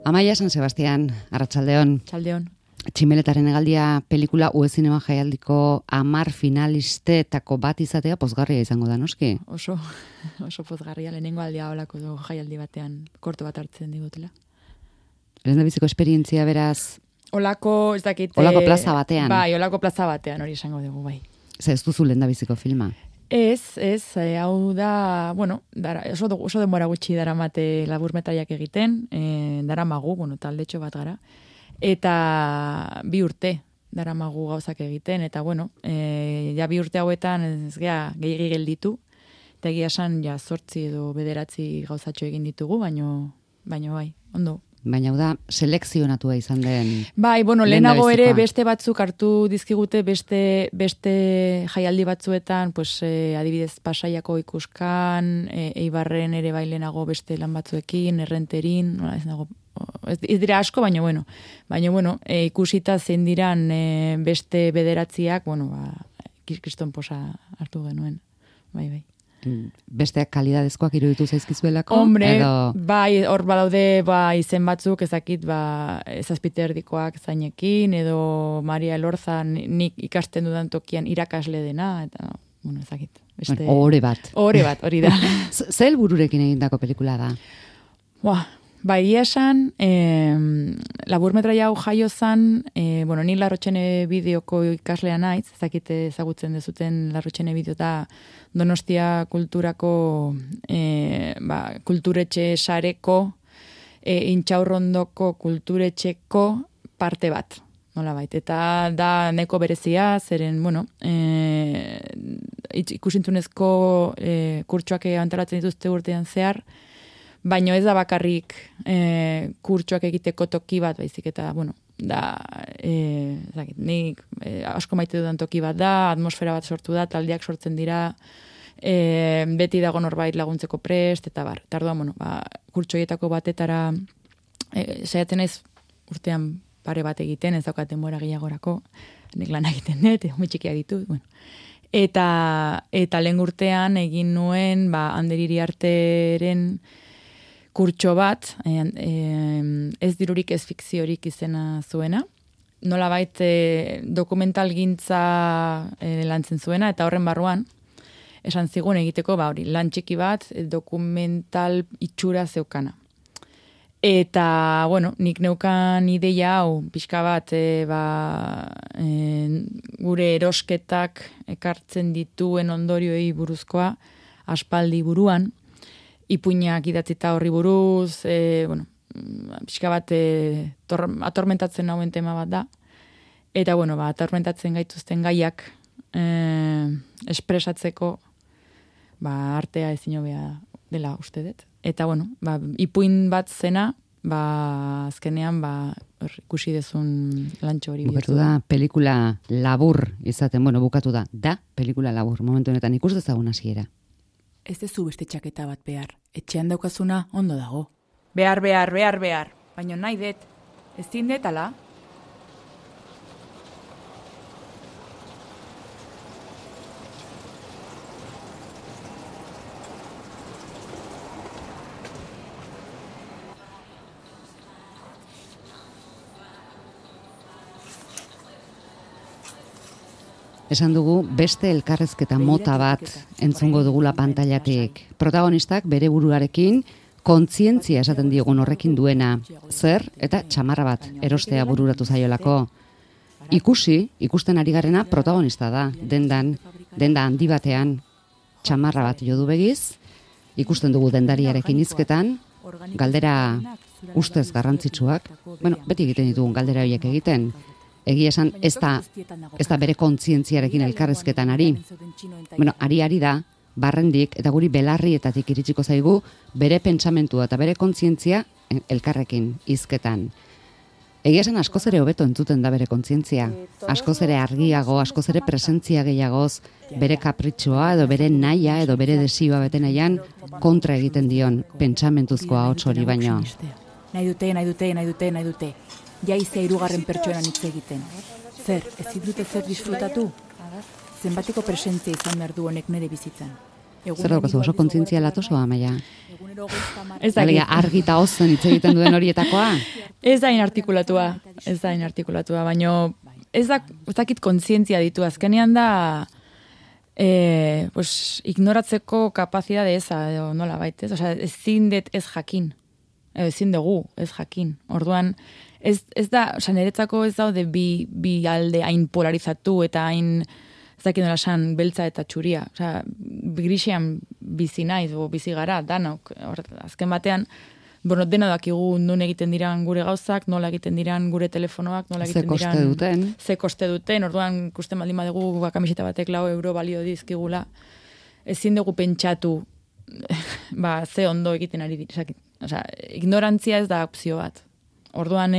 Amaia San Sebastián, arratsaldeon. Txaldeon. Tximeletaren hegaldia pelikula UE Zinema Jaialdiko 10 finalistetako bat izatea pozgarria izango da, noski? Oso pozgarria, lehenengo aldia holako jaialdi batean korto bat hartzen digutela. Lehendabiziko esperientzia beraz? Olako, ez dakit... Olako plaza batean? Bai, olako plaza batean, hori esango dugu, bai. Ze ez duzu lehendabiziko filma? Ez, hau da, bueno, oso denbora gutxi daramate laburmetraiak egiten, daramagu, taldetxo bat gara, eta 2 urte daramagu gauzak egiten, eta bueno, ja 2 urte hauetan ez gea gehiagi gelditu, eta egia esan ja 8 edo 9 gauzatxo egin ditugu, baino bai, ondo. Baina hau da, selekzionatua izan den... Bai, bueno, lehenago ere beste batzuk hartu dizkigute beste jaialdi batzuetan, pues, adibidez Pasaiako Ikuskan, Eibarren ere bai lehenago beste lan batzuekin, Errenterin, ez dira asko, baina bueno, ikusita zein diran beste 9, kriston posa hartu genuen, bai. Besteak kalidadezkoak iruditu zaizkizuelako? Hombre, edo... bai, hor badaude izen batzuk, ezakit, Zazpite erdikoak zainekin, edo Maria Elorza nik ikasten dudan tokian irakasle dena, eta, ezakit. Ohore bat, hori da. Ze helbururekin egindako pelikula da? Bai, esan, laburmetraia hau jaio zan, ni Larrotxene bideoko ikaslea naiz, ezakite ezagutzen dezuten Larrotxene bideo da Donostia kulturako kulturetxe sareko, Intxaurrondoko kulturetxeko parte bat, nolabait. Eta da neko berezia, zeren, ikusintzunezko kurtsoak antolatzen dituzte urtean zehar, baina ez da bakarrik kurtsoak egiteko toki bat, baizik eta, nik asko maite dudan toki bat da, atmosfera bat sortu da, taldeak sortzen dira, beti dago norbait laguntzeko prest, eta bar. Eta orduan, kurtsoietako batetara saiatzen naiz urtean pare bat egiten, ez daukat denbora gehiagorako, nik lan egiten dut, txikiak ditut, Eta lehen urtean egin nuen, Ander Iriarteren kurtso bat, ez dirurik ez fikziorik izena zuena, nolabait dokumental gintza lantzen zuena, eta horren barruan, esan zigun egiteko, lan txiki bat, dokumental itxura zeukana. Eta, nik neukan ideia hau, pixka bat, gure erosketak ekartzen dituen ondorioei buruzkoa, aspaldi buruan, ipuinak idatzita horri buruz, pixka bat atormentatzen hauen tema bat da. Eta, atormentatzen gaituzten gaiak espresatzeko artea ezin hobea dela uste dut. Eta, ipuin bat zena, azkenean, ikusi dezun lantxo hori. Bukatu da, pelikula labur izaten, bukatu da pelikula labur, momentu honetan ikus dezagun hasiera. Ez dezu beste txaketa bat behar. Etxean daukazuna ondo dago. Behar. Baina nahi dut. Ez zindet, ala? Esan dugu beste elkarrezketa mota bat entzungo dugula pantailatik. Protagonistak bere buruarekin kontzientzia esaten diogun horrekin duena, zer eta txamarra bat erostea bururatu zaiolako. Ikusten ari garena protagonista da, denda handi batean txamarra bat jo du begiz, ikusten dugu dendariarekin hizketan, galdera ustez garrantzitsuak, beti egiten ditugun galdera horiek egiten, egia esan ez da bere kontzientziarekin elkarrezketan ari. Ari da, barrendik eta guri belarrietatik iritsiko zaigu bere pentsamentua eta bere kontzientzia elkarrekin hizketan. Egia esan askoz ere hobeto entzuten da bere kontzientzia. Askoz ere argiago, askoz ere presentzia gehiagoz, bere kapritxoa edo bere nahia edo bere desioa bete nahian kontra egiten dion pentsamentuzkoa ahots hori baino. Nahi dute. Jaizea 3. pertsonan hitz egiten. Zer, ez dute zer disfrutatu? Zenbateko presentzia izan behar du honek nire bizitzan. Zer daukazu, oso kontzientzia latoso, Amaia? Ez Alegia, argi eta ozen hitz egiten duen horietakoa? Ez da inartikulatua, baino ez dakit kontzientzia ditu, azkenean da pues, ignoratzeko kapazidade eza, edo nola baita, ez? Osea, ezin dut ez jakin, ezin dugu ez jakin. Orduan, ez da, osea, niretzako ez daude bi alde hain polarizatu eta hain, ez dakit nola esan, beltza eta txuria. Osea, grisean bizi naiz, bizi gara, danok, azken batean, bueno, dena dakigu nun egiten diran gure gauzak, nola egiten diran gure telefonoak, nola egiten diran... Ze koste duten. Orduan, ikusten baldin badugu kamiseta batek 4 euro balio dizkigula. Ezin dugu pentsatu, ze ondo egiten ari dira. Osea, ignorantzia ez da opzio bat. Orduan,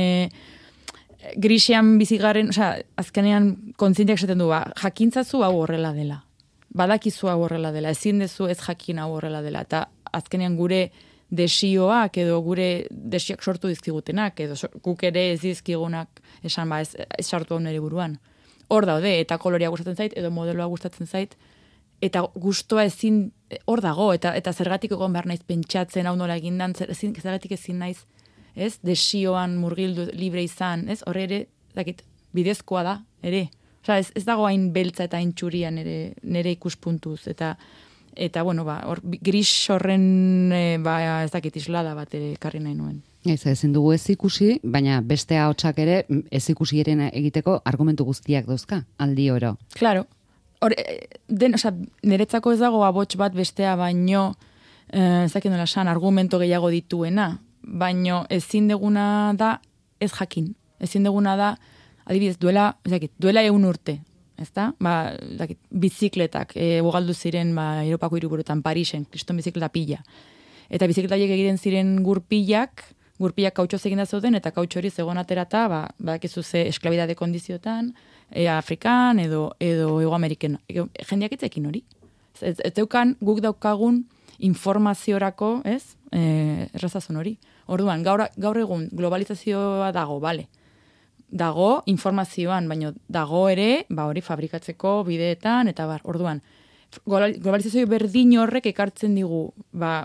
grisean bizigaren, osea, azkenean kontzienteak esaten du, jakintzazu hau horrela dela. Badakizu hau horrela dela. Ezin dezu ez jakin hau horrela dela. Eta azkenean gure desioak edo gure desioak sortu dizkigutenak edo guk ere ez dizkigunak esan ez sartu hau nire buruan. Hor daude, eta kolorea gustatzen zait, edo modeloa gustatzen zait, eta gustoa ezin hor dago, eta zergatik egon behar naiz pentsatzen hau nola egindan, zergatik ezin naiz, ez? Desioan murgildu libre izan, ez? Horre ere, dakit, bidezkoa da, ere. Osea, ez dago hain beltza eta hain txuria nire ikuspuntuz, eta bueno, hor gris horren ez dakit islada bat ere ekarri nahi nuen. Ezin dugu ez ikusi, baina beste ahotsak ere ez ikusi eren egiteko argumentu guztiak dauzka, aldi oro. Claro. Niretzako ez dago abots bat bestea baino, ez dakit nola esan, argumento gehiago dituena, baino ezin deguna da ez jakin. Ezin deguna da, adibidez, duela 100 urte. Ezta? Bizikletak, ugaldu ziren Europako hiriburuetan, Parisen, kriston bizikleta pila. Eta bizikletaiek egiten ziren gurpilak kautxoz eginda zeuden, eta kautxo hori zegoen aterata, badakizu ze esklabidade kondiziotan, Afrikan edo Ego Ameriken. Jendeak itzekin hori. Ez deukan guk daukagun informaziorako, ez? Errazazun hori. Orduan, gaur egun globalizazioa dago, bale. Dago informazioan, baina dago ere, hori fabrikatzeko bideetan, eta orduan, globalizazio berdin horrek ekartzen digu,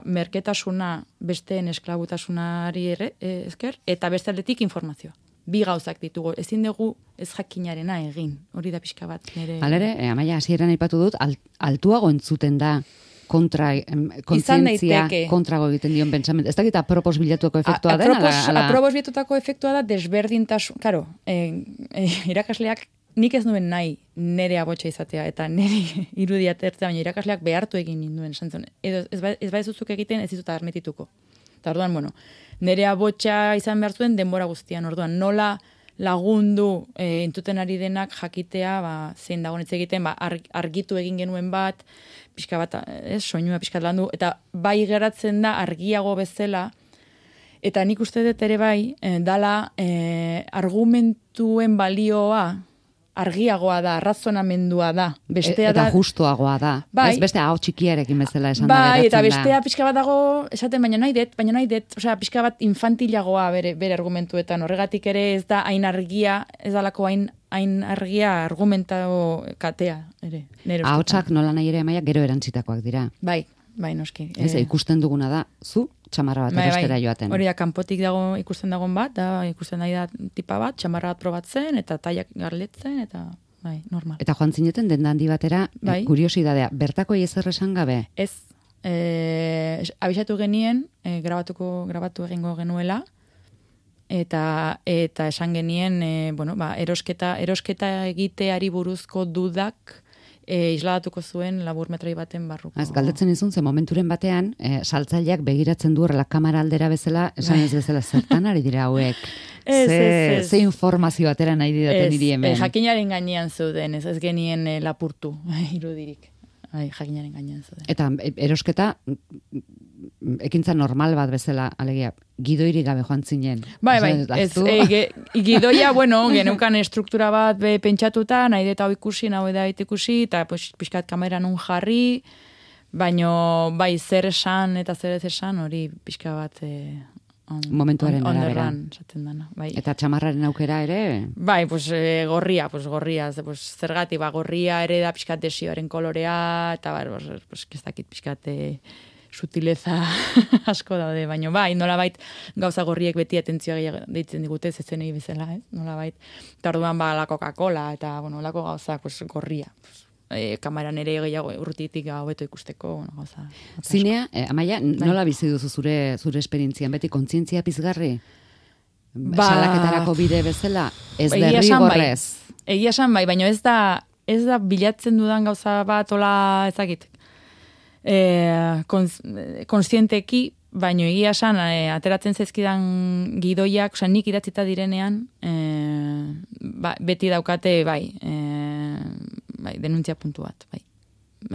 merketasuna besteen esklabutasunari esker, eta beste aldetik informazioa. Bi gauzak ditugu, ezin dugu ez jakinarena egin, hori da pixka bat. Halere, Amaia, hasieran aipatu dut, altuago entzuten da kontzientzia kontrago egiten dion pentsamendu. Ez dakit apropos bilatuko efektua den? Apropos bilatutako efektua da desberdintasun. Karo, irakasleak nik ez nuen nahi nere abotsa izatea, eta nere irudia tertzea, baina irakasleak behartu egin ninduen. Edo ez baizuzuk egiten ez dizuta armetituko. Eta orduan, bueno, nere abotsa izan behar zuen denbora guztian. Orduan, nola lagundu entuten ari denak jakitea, zein dagoen hitz egiten, argitu egin genuen bat, pixka bat, soinua pixka landu, eta bai geratzen da argiago bezala, eta nik uste dut ere bai, dala argumentuen balioa argiagoa da, razonamendua da. Eta justuagoa da. Ez beste hau txikiarekin bezala esan da geratzen da. Eta bestea pixka bat dago, esaten baina nahi dut, osea, pixka bat infantilagoa bere argumentuetan. Horregatik ere ez da hain argia, ez dalako hain argia argumentao katea. Ahotsak nola nahi ere Amaia gero erantzitakoak dira. Bai, noski. Ez, ikusten duguna da, zu txamarra bat erostera joaten. Hori da, kanpotik dago ikusten dagoen bat, ikusten nahi da tipa bat, txamarra bat probatzen, eta taiak garletzen, eta normal. Eta joan zineten den handi batera, kuriosidadea, bertako ezer esan gabe? Ez, abisatu genien, grabatu egingo genuela, eta esan genien, erosketa egiteari buruzko dudak, isladatuko zuen laburmetrai baten barruko. Galdetzen izun, ze momenturen batean, saltzaileak begiratzen du horrela kamara aldera bezala, esan ez bezala zertan ari dira hauek. Ze informazio atera nahi didaten diri hemen. Jakinaren gainean zeuden, ez genien lapurtu, irudirik. Jakinaren gainean zeuden. Eta erosketa, ekintza normal bat bezala, alegia, gidoirik gabe joan zinen. Gidoia, geneukan struktura bat pentsatuta, nahi deta hau ikusi, eta pixkat kameran un jarri, baino zer esan eta zer ez esan, hori pixka bat Momentuaren arabera. Onderran, esaten dana, bai. Eta txamarraren aukera ere? Bai, gorria, zergatik, gorria ere da pixkat desioaren kolorea, eta ez dakit pixkat sutileza asko daude, baina bai, nolabait gauza gorriek beti atentzioa gehiago deitzen digute, zezenei bezala, nolabait. Eta orduan la Coca-Cola, eta, lako gauzak, gorria. Kameran ere gehiago urrutitik hobeto ikusteko, gauza. Zinea, Amaia, nola bizi duzu zure esperientzian, beti kontzientzia pizgarri? Salaketarako bide bezala, ez derrigorrez. Egia esan bai, baina ez da bilatzen dudan gauza bat, ola ezakit, konstienteki, baino egia esan, ateratzen zaizkidan gidoiak, nik idatzita direnean, beti daukate, denuntzia puntu bat,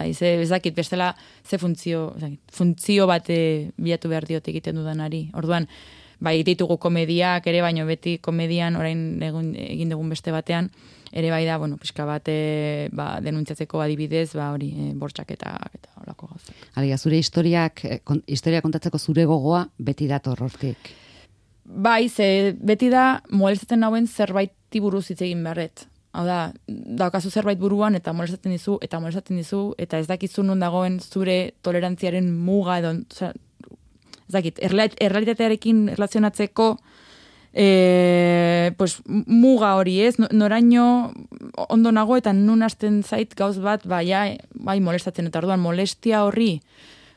ez dakit, bestela, funtzio bat bilatu behar diote egiten dudanari. Orduan, ditugu komediak ere, baino beti komedian, orain egin dugun beste batean, ere da, pixka bat denuntziatzeko adibidez, bortxak eta olako gauzak. Alegia, zure historia kontatzeko zure gogoa beti dator hortik. Beti da molestatzen nauen zerbaiti buruz hitz egin beharret. Hau da, daukazu zerbait buruan eta molestatzen dizu, eta ez dakizu non dagoen zure tolerantziaren muga edo, ez dakit, errealitatearekin erlazionatzeko muga hori ez, noraino ondo nago eta nun hasten zait gauz bat, molestatzen, eta orduan molestia horri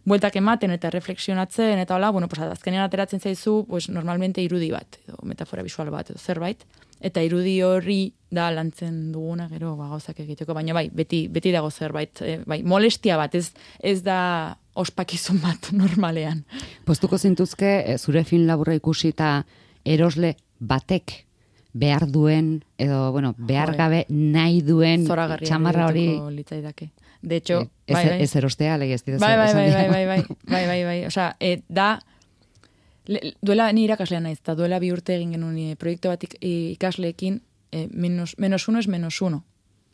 bueltak ematen eta reflexionatzen, eta hola, azkenean ateratzen zaizu, normalmente irudi bat, edo metafora visual bat, edo zerbait, eta irudi horri da lantzen duguna, gero gauzak egiteko, baina beti dago zerbait, molestia bat, ez da ospakizun bat normalean. Postuko zintuzke, zure film laburra ikusi eta erosle batek behar duen, edo, behar gabe nahi duen txamarra hori... Litzaidake. De hecho, ez erostea, legez dira. Bai. Osea, duela ni irakaslean naiz, eta duela 2 urte egin genuen proiektu bat ikasleekin, -1 es -1,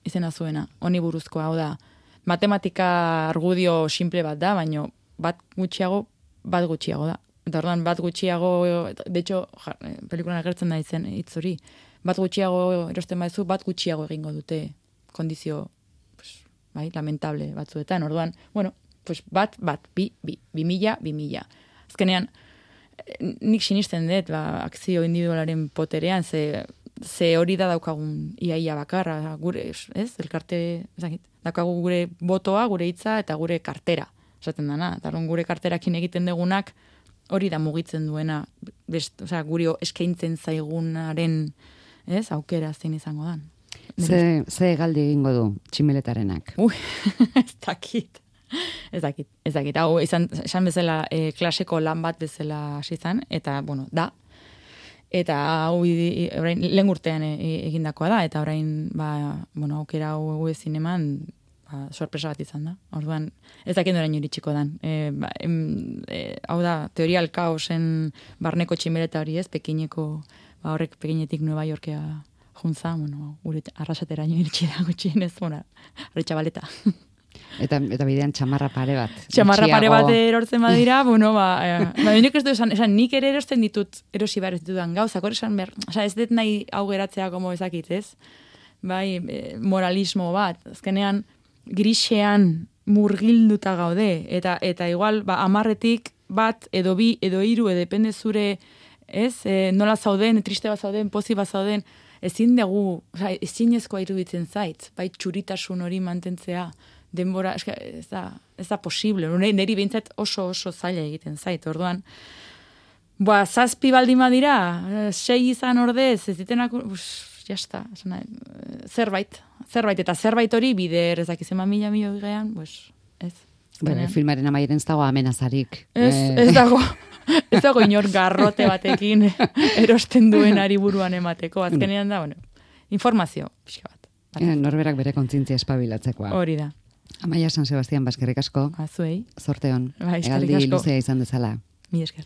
izena zuena, honi buruzkoa, hau da, matematika argudio simple bat da, baina bat gutxiago da. Eta orduan bat gutxiago, de hecho, pelikulan agertzen da izen hitz hori, bat gutxiago erosten baizu, bat gutxiago egingo dute kondizio, lamentable batzuetan. Orduan, bat, 2000. Azkenean, nik sinisten dut, akzio individualaren poterean, ze hori da daukagun iaia bakarra, gure, ez, elkarte, daukagu gure botoa, gure hitza eta gure kartera, esaten dana. Eta gure karterakin egiten dugunak, hori da mugitzen duena, guri eskaintzen zaigunaren, ez, aukera zein izango dan. Ze galdi egingo du tximeletarenak? Ez dakit. Hau, esan bezala klaseko lan bat bezala hasi izan, eta, da. Eta hau lehen urtean egindakoa da, eta orain, aukera hau ezin eman, sorpresa bat izan da. Orduan, ez dakit orain iritsiko dan. Hau da, teoria kaosen barneko tximeleta hori ez, pekineko, horrek pekinetik Nueva Yorkea juntza, gure arrasateraino iritsi da gutxienez, arretxabaleta. Eta bidean txamarra pare bat. Txamarra pare bat erortzen badira, nik ez du esan, nik ere erosten ditut, erosi behar ez ditudan gauzak, hori esan behar, ez dut nahi hau geratzea como ezakit, ez? Moralismo bat, azkenean grisean murgilduta gaude, eta igual, 10 bat, edo 2, edo 3, depende zure, ez? Nola zauden, triste bat zauden, pozi bat zauden, ezin dugu, ezinezkoa iruditzen zait, txuritasun hori mantentzea, denbora, ez da posible, niri behintzat oso zaila egiten zait, orduan, 7 baldin badira, 6 izan ordez, ez ditenak, jazta, zerbait, eta zerbait hori bider, ez dakiz eman mila gean, ez. Filmaren amaieren ez dago amenazarik. Ez dago inor garrote batekin erosten duenari buruan emateko, azkenean da, informazio, pixka bat. Norberak bere kontzientzia espabilatzekoa. Hori da. Amaia San Sebastian, baskerrik asko. Zuei. Zorte hon. Eskerrik asko. Egaldi luzea izan dezala. Mi esker.